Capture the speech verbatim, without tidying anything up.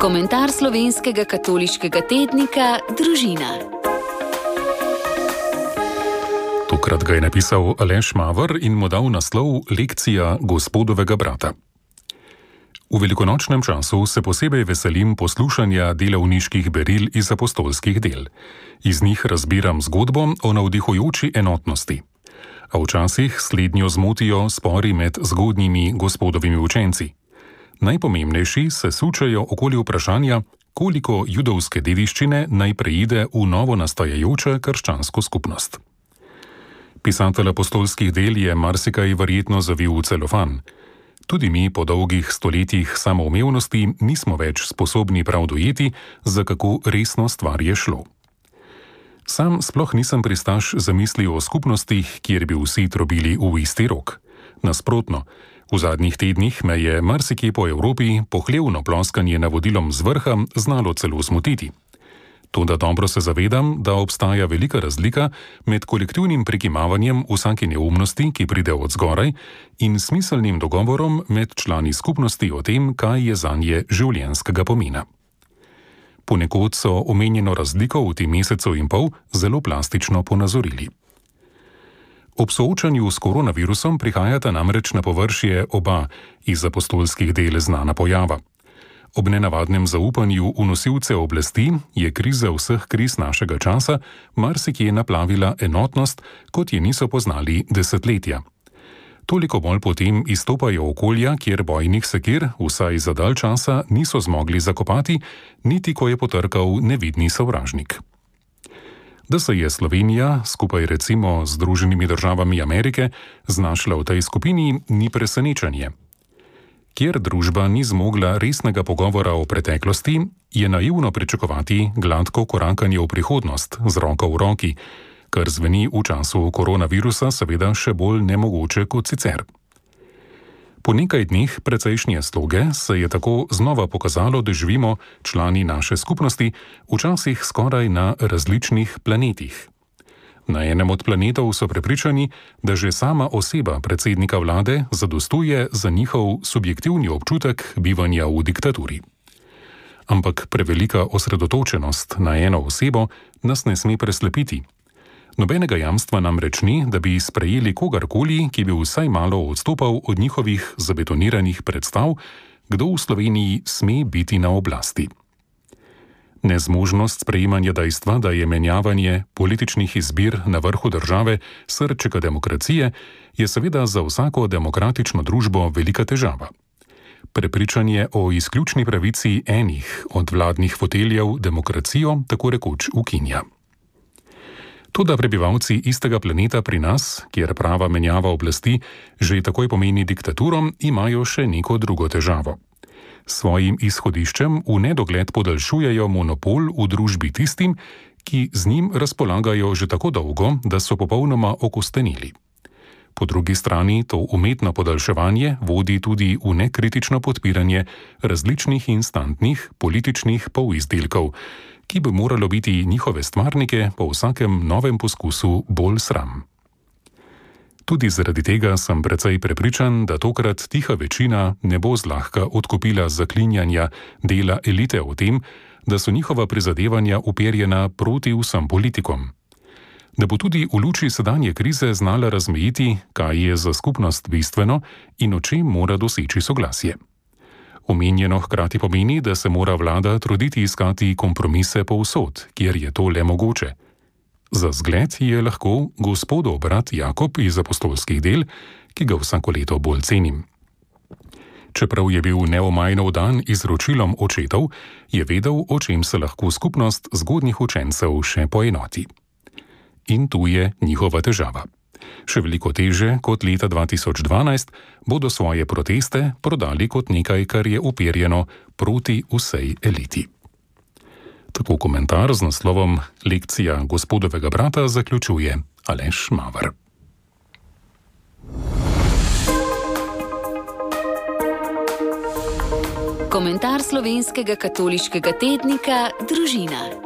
Komentar slovenskega katoliškega tednika Družina. Tokrat ga je napisal Aleš Maver in mu dal naslov Lekcija gospodovega brata. V velikonočnem času se posebej veselim poslušanja delavniških beril iz apostolskih del. Iz njih razbiram zgodbo o navdihujoči enotnosti. A včasih slednjo zmotijo spori med zgodnjimi gospodovimi učenci. Najpomembnejši se sučejo okoli vprašanja, koliko judovske dediščine naj preide v novo nastajajočo krščansko skupnost. Pisatelj apostolskih del je marsikaj verjetno zavil v celofan. Tudi mi po dolgih stoletjih samoumevnosti nismo več sposobni prav dojeti, za kako resno stvar je šlo. Sam sploh nisem pristaš zamisli o skupnostih, kjer bi vsi trobili v isti rok. Nasprotno, v zadnjih tednih me je marsikje po Evropi pohlevno ploskanje navodilom z vrha znalo celo smutiti. Toda dobro se zavedam, da obstaja velika razlika med kolektivnim prikimavanjem vsake neumnosti, ki pride od zgoraj, in smiselnim dogovorom med člani skupnosti o tem, kaj je zanje življenjskega pomena. Ponekod so omenjeno razliko v tem mesecu in pol zelo plastično ponazorili. Ob soočanju s koronavirusom prihajata namreč na površje oba iz apostolskih del znana pojava. Ob nenavadnem zaupanju v nosilce oblasti je kriza vseh kriz našega časa marsikje naplavila enotnost, kot je niso poznali desetletja. Toliko bolj potem izstopajo okolja, kjer bojnih sekir vsaj za dalj časa niso zmogli zakopati, niti ko je potrkal nevidni sovražnik. Da se je Slovenija, skupaj recimo z Združenimi državami Amerike, znašla v tej skupini, ni presenečenje. Kjer družba ni zmogla resnega pogovora o preteklosti, je naivno pričakovati gladko korakanje v prihodnost z roko v roki, kar zveni v času koronavirusa seveda še bolj nemogoče kot sicer. Po nekaj dneh precejšnje sloge se je tako znova pokazalo, da živimo člani naše skupnosti včasih skoraj na različnih planetih. Na enem od planetov so prepričani, da že sama oseba predsednika vlade zadostuje za njihov subjektivni občutek bivanja v diktaturi. Ampak prevelika osredotočenost na eno osebo nas ne sme preslepiti. Nobenega jamstva namreč ni, da bi sprejeli kogarkoli, ki bi vsaj malo odstopal od njihovih zabetoniranih predstav, kdo v Sloveniji sme biti na oblasti. Nezmožnost sprejemanja dejstva, da je menjavanje političnih izbir na vrhu države srčika demokracije, je seveda za vsako demokratično družbo velika težava. Prepričanje o izključni pravici enih od vladnih foteljev demokracijo tako rekoč ukinja. Toda prebivalci istega planeta pri nas, kjer prava menjava oblasti že takoj pomeni diktaturo, imajo še neko drugo težavo. Svojim izhodiščem v nedogled podaljšujejo monopol v družbi tistim, ki z njim razpolagajo že tako dolgo, da so popolnoma okostenili. Po drugi strani to umetno podaljševanje vodi tudi v nekritično podpiranje različnih instantnih političnih polizdelkov, ki bi moralo biti njihove stvarnike po vsakem novem poskusu bolj sram. Tudi zaradi tega sem precej prepričan, da tokrat tiha večina ne bo zlahka odkupila zaklinjanja dela elite o tem, da so njihova prizadevanja uperjena proti vsem politikom. Da bo tudi v luči sedanje krize znala razmejiti, kaj je za skupnost bistveno in o čem mora doseči soglasje. Omenjeno hkrati pomeni, da se mora vlada truditi iskati kompromise povsod, kjer je to le mogoče. Za zgled je lahko gospodov brat Jakob iz apostolskih del, ki ga vsako leto bolj cenim. Čeprav je bil neomajno dan izročilom očetov, je vedel, o čem se lahko skupnost zgodnjih učencev še poenoti. In tu je njihova težava. Še veliko teže kot leta dva tisoč dvanajst bodo svoje proteste prodali kot nekaj, kar je uperjeno proti vsej eliti. Tako komentar z naslovom Lekcija gospodovega brata zaključuje Aleš Maver. Komentar slovenskega katoliškega tednika Družina.